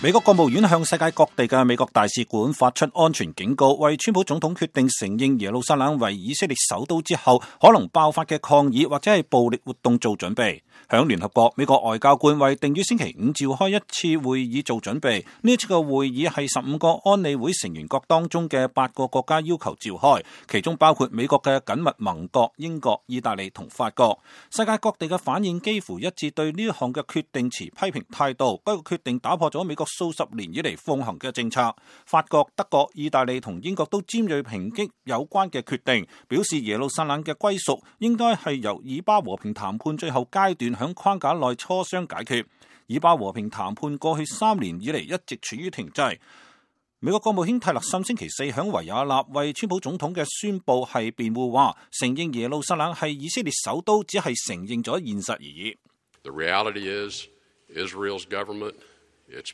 美國國務院向世界各地嘅美國大使館發出安全警告，為川普總統決定承認耶路撒冷為以色列首都之後可能爆發嘅抗議或者係暴力活動做準備。響聯合國，美國外交官為定於星期五召開一次會議做準備。呢一次嘅會議係15個安理會成員國當中嘅8個國家要求召開，其中包括美國嘅緊密盟國英國、意大利同法國。世界各地嘅反應幾乎一致，對呢一項嘅決定持批評態度。該個決定打破咗美國數十年以嚟奉行嘅政策。法國、德國、意大利同英國都尖銳抨擊有關嘅決定，表示耶路撒冷嘅歸屬應該係由以巴和平談判最後階段響框架內磋商解決。以巴和平談判過去3年以嚟一直處於停滯。美國國務卿泰勒森星期四響維也納為川普總統嘅宣佈係辯護，話承認耶路撒冷係以色列首都只係承認咗現實而已。The reality is Israel's government, its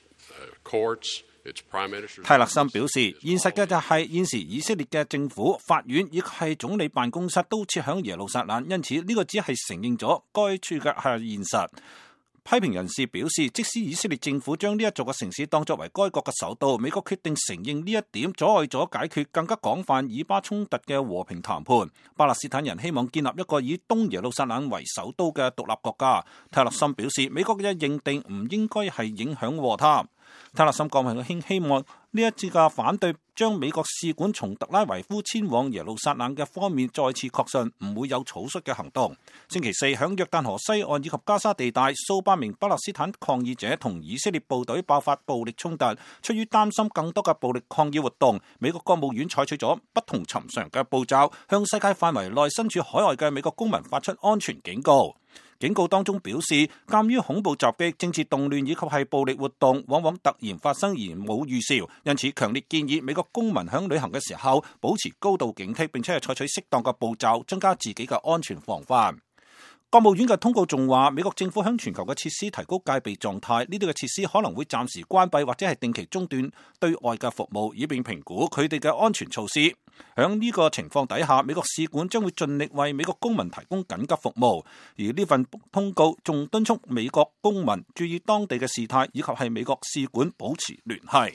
courts, its prime minister. 泰勒森表示，現實嘅就係現時以色列嘅政府、法院以及係總理辦公室都設響耶路撒冷，因此呢個只係承認咗該處嘅係現實。批評人士表示，即使以色列政府將呢一座嘅城市當作為該國嘅首都，美國決定承認呢一點，阻礙咗解決更加廣泛以巴衝突嘅和平談判。巴勒斯坦人希望建立一個以東耶路撒冷為首都嘅獨立國家。泰勒森表示，美國嘅認定唔應該係影響和談。泰勒森國務卿希望呢一次嘅反對將美國使館從特拉維夫遷往耶路撒冷嘅方面再次確信唔會有草率嘅行動。星期四響約旦河西岸以及加沙地帶，數百名巴勒斯坦抗議者同以色列部隊爆發暴力衝突，出於擔心更多嘅暴力抗議活動，美國國務院採取咗不同尋常嘅步驟，向世界範圍內身處海外嘅美國公民發出安全警告。警告當中表示，鑒於恐怖襲擊、政治動亂以及係暴力活動往往突然發生而冇預兆，因此強烈建議美國公民響旅行嘅時候保持高度警惕，並且係採取適當嘅步驟，增加自己嘅安全防範。國務院嘅通告仲話，美國政府向全球嘅設施提高戒備狀態，呢啲嘅設施可能會暫時關閉或者係定期中斷對外嘅服務，以便評估佢哋嘅安全措施。響呢個情況底下，美國使館將會盡力為美國公民提供緊急服務。而呢份通告仲敦促美國公民注意當地嘅事態，以及係美國使館保持聯繫。